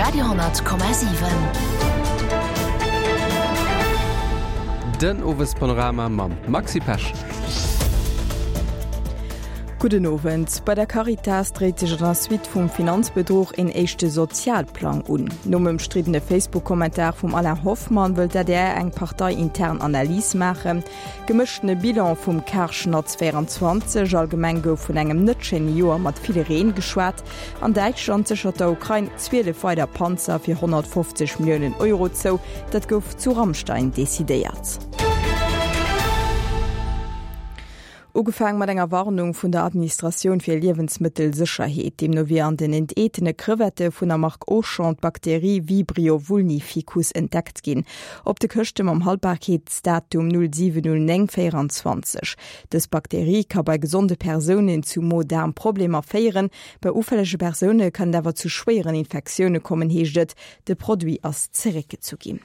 Radio,7. Den Owespanorama mam Maxi Pesch. Gudden Owend. Bei der Caritas dréit sech an der Suite vum Finanzbedruch een éischte Sozialplang un. Nom ëmstriddene Facebook-Kommentar vum Alain Hoffmann wëll d'ADR eng parteiintern Analys maachen. Gemëschtene Bilan vum Karschnatz 24, Allgemeng gouf vun engem net schéine Joer mat vill Reen geschwat. An Däitschland séchert der Ukrain 12 weider Panzer fir 150 Milliounen Euro zou. Dat gouf zu Ramstein decidéiert. Ugefaang mat enger Warnung vun der Administratioun fir Liewensmëttelsécherheet. Deemno wier an den enteetene Crevette vun der Mark Auchan d'Bakterie Vibrio vulnificus entdeckt ginn. Op de Këschte mam Haltbarkeetsdatum 07 09 24. Dës Bakterie ka bei gesonde Persounen zu Mo-Daarm-Problemer féieren. Bei ufällege Persoune kann et awer zu schwéieren Infektioune kommen, heescht et. De Produit ass zeréckgezu ginn.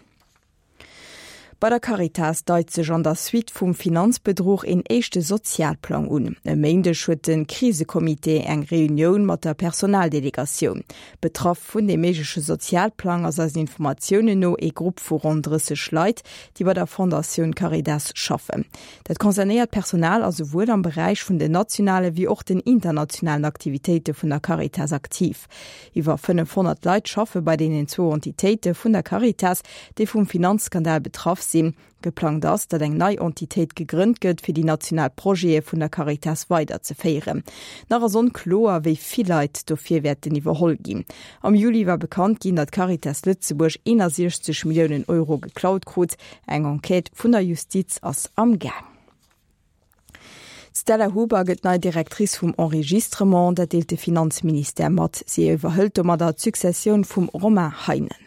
Bei der Caritas deit sech an der Suite vum Finanzbedruch een éischte Sozialplang un. E Méindeg huet de Krisecomité eng Reunioun mat der Personaldelegatioun. Betraff vun deem méigleche Sozialplang ass eisen Informatiounen no ee Grupp vu ronn 30 Leit, déi bei der Fondatioun Caritas schaffen. Dat concernéiert Personal ass esouwuel am Beräich vun den nationale wéi och den internationalen Aktivitéite vun der Caritas aktiv. Iwwer 500 Leit schaffe bei deenen zwou Entitéite vun der Caritas, déi vum Finanzskandal betraff sinn. Geplangt ass, datt eng nei Entitéit gegrënnt gëtt, fir déi national Projete vun der Caritas weiderzeféieren. Nach ass onkloer, wéi vill Leit dofir wäerten iwwerholl ginn. Am Juli war bekannt ginn, datt d'Caritas Lëtzebuerg 61 Milliounen Euro geklaut krut. Eng Enquête vun der Justiz ass am Gaang. D'Stella Huber gëtt nei Directrice vum Enregistrement, dat deelt de Finanzministère mat. Si iwwerhëlt domadder d'Successioun vum Romain Heinen.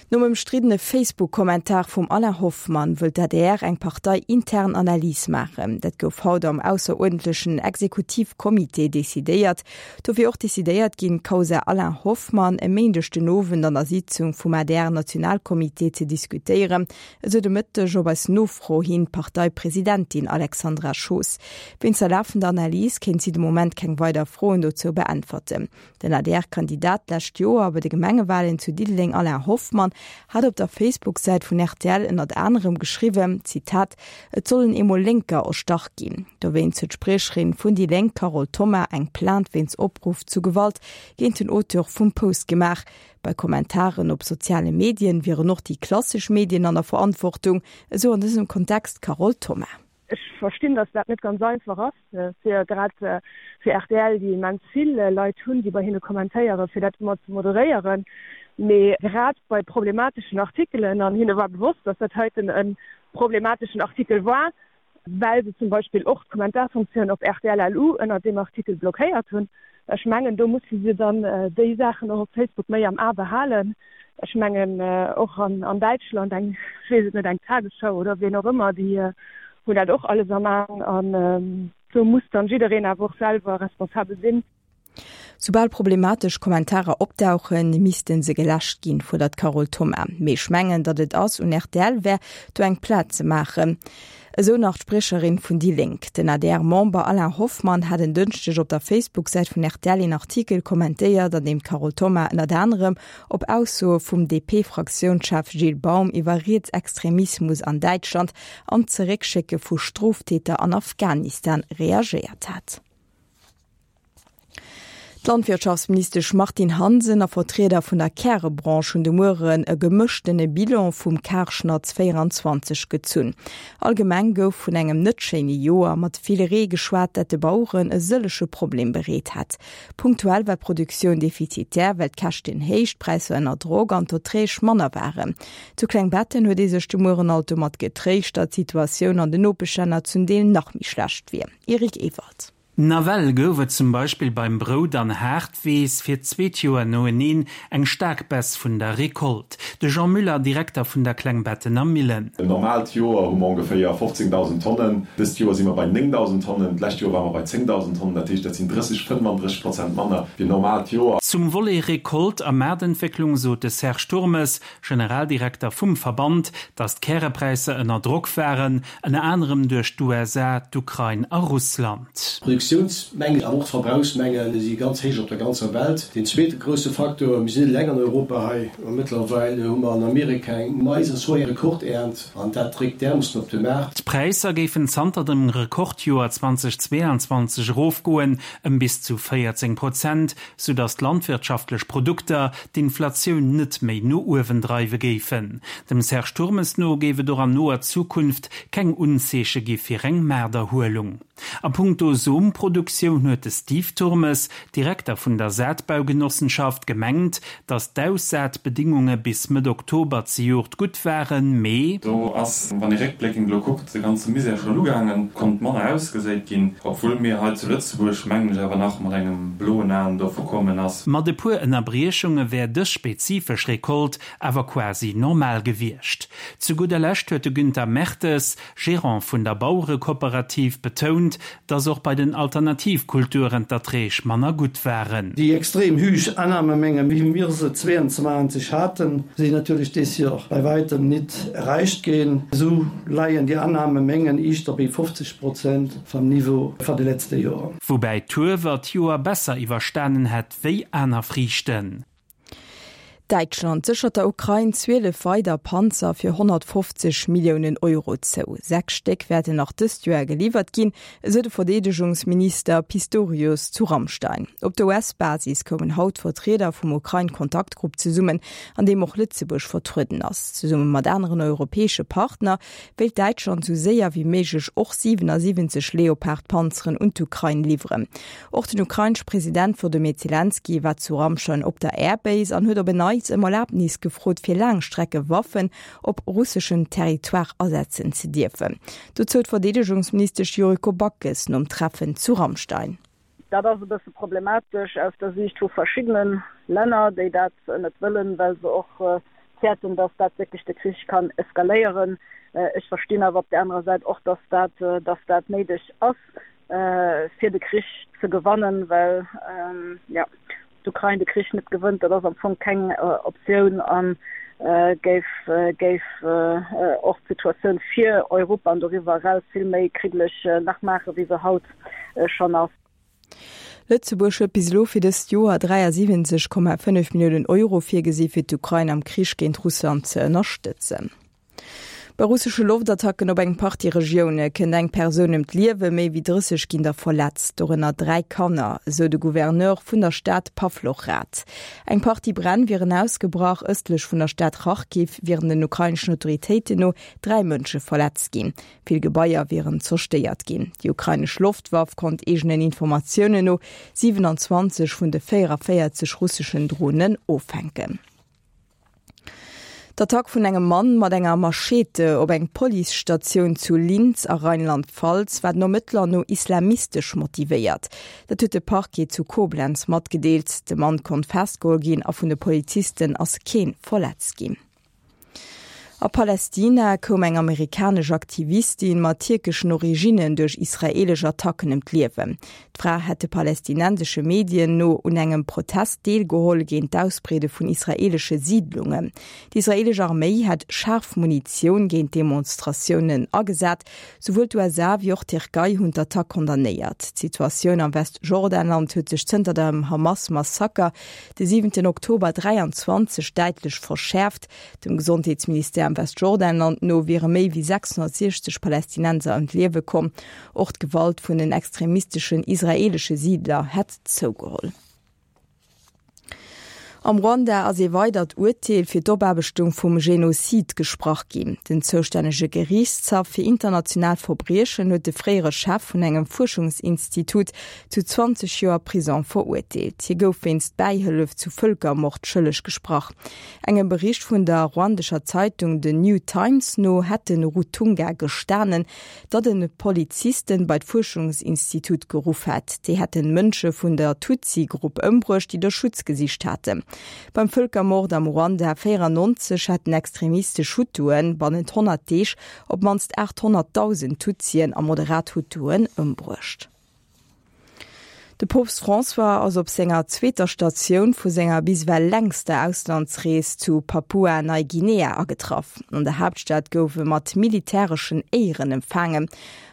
Nom ëmstriddene Facebook-Kommentar vum Alain Hoffmann wëll d'ADR eng parteiintern Analys maachen. Dat gouf haut am ausseruerdentlechen Exekutivcomité decidéiert. Do wier och decidéiert ginn, d'Causa Alain Hoffmann e Méindeg den Owend an der Sitzung vum ADR-Nationalcomité ze diskutéieren. Esou de Mëtteg op eis Nofro hin d'Parteipresidentin Alexandra Schoos. Wéinst der lafender Analys kéint si de Moment keng weider Froen dozou beäntwerten. Den ADR-Kandidat d'lescht Joer bei de Gemengewalen zu Diddeleng Alain Hoffmann hat op der Facebook-Säit vun rtl ënnert anerem geschriwwen, Zitat, Et sollen eemol Lénker erstach ginn. Dowéinst huet d'Spriecherin vun déi Lénk Carole Thoma eng Plainte wéinst Opruff zu Gewalt géint den Auteur vum Post gemaach. Bei Kommentaren op soziale Medien wieren och déi klassesch Medien an der Verantwortung, esou an dësem Kontext d'Carole Thoma. Ech verstinn, datt dat net ganz einfach ass, fir grad fir rtl, déi immens vill Leit hunn, déi bei hinne kommentéieren, fir dat ëmmer ze moderéieren. Mee grad bei problemateschen Artikelen, an hinne war bewosst, datt dat heiten e problemateschen Artikel war, well se zum Beispill och d'Kommentarfunktioun op rtl LU ënnert deem Artikel blockéiert hunn. Ech mengen, do musse se dann déi Saachen och op Facebook méi am A behalen. Ech mengen, och an Däitschland, eng, ech weess et net, eng Tagesschau oder wien och ëmmer, déi hunn dat och alles am A. An do muss dann jiddereen awer och selwer responsabel sinn. Soubal problematesch Kommentarer opdauchen, misste se geläscht ginn, fuerdert d'Carole Thoma. Mee ech mengen, datt et ass un rtl wär, do eng Plainte ze maachen. Esou nach d'Spriecherin vun déi Lénk. Den ADR-Member Alain Hoffmann hat en Dënschdeg op der Facebook-Säit vun rtl een Artikel kommentéiert, an deem d'Carole Thoma ënnert anerem op Aussoe vum DP-Fraktiounschef Gilles Baum iwwer Rietsextremismus an Däitschland an d'Zeréckschécke vu Stroftäter an Afghanistan reagéiert hat. D'Landwirtschaftsministesch Martine Hansen a Vertrieder vun der Kärebranche hunn de Mueren e gemëschtene Bilan vum Karschnatz 24 gezunn. Allgemeng gouf vun engem net schéine Joer mat vill Ree geschwat, dat de Baueren e sëllege Problem bereet hätt. Punktuell war d'Produktioun defizitär, well d'Käschten héich, d'Präisser ënner Drock an d'Erträg manner waren. Zu Klengbetten huet ee sech de Mueren alt domat getréischt, datt d'Situatioun an den Nopeschlänner zum Deel nach méi schlecht wier. Eric Ewald. Nawell gouf et zum Beispill beim Brout an Haartweess fir d'zweet Joer noeneen eng staark Baisse vun der Recolte. De Jean Müller, Direkter vun der Klengbettener Millen. En normaalt Joer hu mer ongeféier 15.000 Tonnen. Dëst Joer si mer bei 9.000 Tonnen, d'lescht Joer ware mer bei 10.000 Tonnen. Dat heescht, dat sinn 30, 35 Prozent manner wéi en normaalt Joer. Zum Volet Recolte a Maartentwécklung sot de Serge Turmes, Generaldirekter vum Verband, datt d'Kärepräisser ënner Drock waren, ënner anerem duerch d'USA, d'Ukrain a Russland. D'Produktioun. D'Produktiounsmengen, awer och d'Verbrauchsmenge si ganz héich op der ganzer Welt. Deen zweete grousse Faktor, mir sinn net eleng an Europa hei, ma mëttlerweil hu mer an Amerika eng Mais a Soja-Rekordernt an dat dréckt därmoossen op de Maart. D'Präisser géifen zanter dem Rekordjoer 2022 erofgoen, ëm bis zu 14 Prozent, soudass d'landwirtschaftlech Produkter d'Inflatioun net méi no uewen dreiwe géifen. Dem Serge Turmes no géif et och an noer Zukunft keng Unzeeche gi fir eng Maarterhuelung. A punkto Somproduktioun huet de Steve Turmes, Direkter vun der Saatbaugenossenschaft, gemengt, datt d'Aussaatbedingunge bis Mëtt Oktober zejoert gutt waren, mee. Do ass, wann ee réckbléckend elo kuckt, de ganze Misär schonn ugaangen, konnt manner ausgeséit ginn, obwuel mir hei zu Lëtzebuerg, mengen ech, awer nach mat engem bloen Aen dovu kommen ass. Mat e puer Ënnerbriechunge wär dës spezifesch Recolte awer quasi normal gewiescht. Zu gudder Lescht huet de Günther Mertes, Gerant vun der Bauerekooperativ, betount, dass och bei den Alternativkulturen d'Erträg manner gutt waren. Déi extrem hüch Annahmemenge wéi mir se 22 haten, sinn natierlech des Joer bei weitem nit erreicht ginn. Esou leien déi Annahmemengen iischter béi 50 Prozent vam Niveau van de letzte Joer. Woubäi d'Huewer d'Joer besser iwwerstanen hätt wéi aner Friichten. Däitschland séchert der Ukrain 12 weider Panzer fir 150 Milliounen Euro zou. 6 Stéck wäerten nach dëst Joer geliwwert ginn, esou de Verdeedegungsminister Pistorius zu Ramstein. Op der US-Basis koumen haut Vertrieder vum Ukrain-Kontaktgrupp zesummen, an deem och Lëtzebuerg vertrueden ass. Zesumme mat aneren europäesche Partner wéilt Däitschland esou séier wéi méiglech och 77 Leopard-Panzeren un d'Ukrain liwweren. Och den ukrainesche President Wlodymyr Zelenskyj war zu Ramstein op der Airbase an huet op en Neits ëm Erlabnis gefrot, fir Laangstreckewaffen op russeschem Territoire asetzen ze dierfen. Dozou d'Verdeedegungsministesch Yuriko Backes nom Treffen zu Ramstein. Dat ass e bësse problematesch aus der Siicht vu verschiddene Länner, déi dat net wëllen, well se och fäerten, dass dat wierklech de Krich kann eskaléieren. Ech verstinn awer op där anerer Säit och, dass dat, dass dat néideg ass. fir de Krich ze gewannen, well jo d'Ukrain de Krich net gewënnt, dat ass am Fong keng Optioun a géif géif och d'Situatioun fir Europa an doriwwer eraus vill méi kriddeleg nach maachen, wéi se haut schonn ass. Lëtzebuerg huet bis elo fir dëst Joer 73,5 Milliounen Euro virgesi fir d'Ukrain am Krich géint Russland ze ënnerstëtzen. Bei russesche Loftattacken op eng Partie Regioune kënnt eng Persoun ëm d'Liewen, méi wéi 30 ginn der verletzt, dorënner 3 Kanner, esou de Gouverneur vun der Stad Pawlochrad. Eng Partie Bränn wieren ausgebrach. Ëstlech vun der Stad Charkiw wieren den ukraineschen Autoritéiten no 3 Mënsche verletzt ginn. Vill Gebaier wieren zerstéiert ginn. Déi ukrainesch Loftwaff konnt eegenen Informatiounen no 27 vun de 44 russeschen Dronen offänken. D'Attack vun engem Mann mat enger Machete op eng Policestatioun zu Linz a Rheinland-Pfalz war den Ermëttler no islamistesch motivéiert. Dat huet de Parquet zu Koblenz matgedeelt. De Mann konnt festgeholl ginn a vun de Polizisten ass kee verletzt ginn. A Palästina koum eng amerikanesch Aktivistin mat tierkeschen Originnen duerch israeelesch Attacken ëm d'Liewen. D'Fra hätt de palästinensesche Medien no un engem Protest deelgeholl géint d'Ausbreede vun israeelesche Siidlungen. D'israeelesch Arméi hätt schaarf Munitioun géint d'Demonstratiounen agesat. Souwuel d'USA wéi och d'Tierkei hunn d'Attack condamnéiert. D'Situatioun am Westjordanland huet sech zënter dem Hamas-Massaker de siwenten Oktober 23 däitlech verschäerft. Dem Gesondheetsministère am Westjordanland no wiere méi wéi 660 Palästinenser ëm d'Liewe komm. Och d'Gewalt vun den extremisteschen israeelesche Siidler hätt zougeholl. Am Ruanda ass ee weidert Urteel fir d'Opaarbechtung vum Genozid gesprach ginn. Den zoustännege Geriichtshaff fir international Verbriechen huet de fréiere Chef vun engem Fuerschungsinstitut zu 20 Joer Prison verurteelt. Hie gouf wéinst Bäihëllef zu Vëlkermord schëlleg gesprach. Engem Bericht vun der ruandescher Zeitung The New Times no hätt de Rutunga gestanen, datt en Polizisten bei d'Fuerschungsinstitut geruff hätt. Déi hätten Mënsche vun der Tutsi-Grupp ëmbruecht, déi do Schutz gesicht haten. Beim Vëlkermord am Ruanda 94 hätten extremistesch Hutuen bannent 100 Deeg op d'mannst 800.000 Tutsien a moderat Hutuen ëmbruecht. De Poopst François ass op senger zweeter Statioun vu senger bis ewell längster Auslandsrees zu Papua-Neiguinea agetraff. An der Haaptstad gouf e mat militäreschen Éieren empfaangen.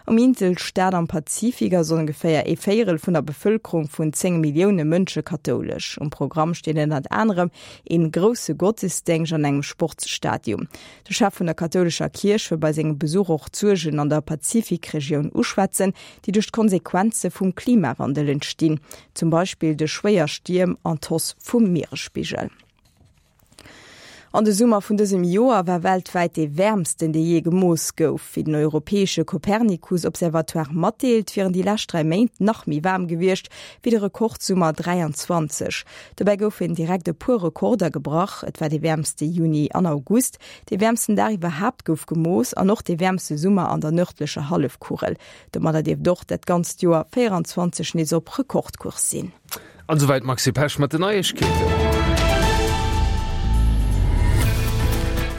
Um Inselstaat am Pazifik ass ongeféier ee Véierel vun der Bevëlkerung vun 10 Millioune Mënsche kathoulesch. Um Programm steet ënnert anerem een grousse Gottesdéngscht an engem Sportsstadium. De Chef vun der kathoulescher Kierch wëll bei sengem Besuch och d'Suergen an der Pazifikregioun uschwätzen, déi duerch d'Konsequenze vum Klimawandel entstinn, zum Beispill duerch schwéier Stierm an d'Hausse vum Mieresspigel. An de Summer vun dësem Joer war weltwäit dee wäermsten, dee jee gemooss gouf. Wéi den europäesche Copernicus-Observatoire matdeelt, wieren déi lescht 3 Méint nach méi waarm gewiescht wéi de Rekordsummer 23. Dobäi goufen direkt e puer Rekorder gebrach, Et war dee wäermste Juni an August, dee wäermsten Dag iwwerhaapt gouf gemooss an och dee wäermste Summer an der nërdlecher Hallefkugel. Domadder dierft och dat ganzt Joer 24 nees op Rekordkurs sinn. An esouwäit d'Maxi Pesch mat den Neiegkeeten.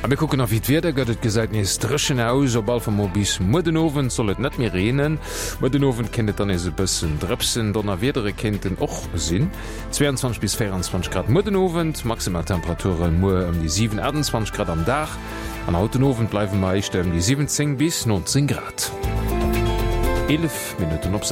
A mir kucken nach wéi d'Wieder gëtt. Et gesäit nees dréchen aus, op all Fall mol bis muer den Owend soll et net méi reenen. Muer den Owend kéint et dann nees e bëssen drëpsen, Donnerwiedere kéinten och sinn. 22 bis 24 Grad muer den Owend, Maximaltemperature muer ëm déi 7, 28 Grad am Dag an haut den Owend bleiwe mer éischter ëm déi 17 bis 19 Grad. 11 Minutten op.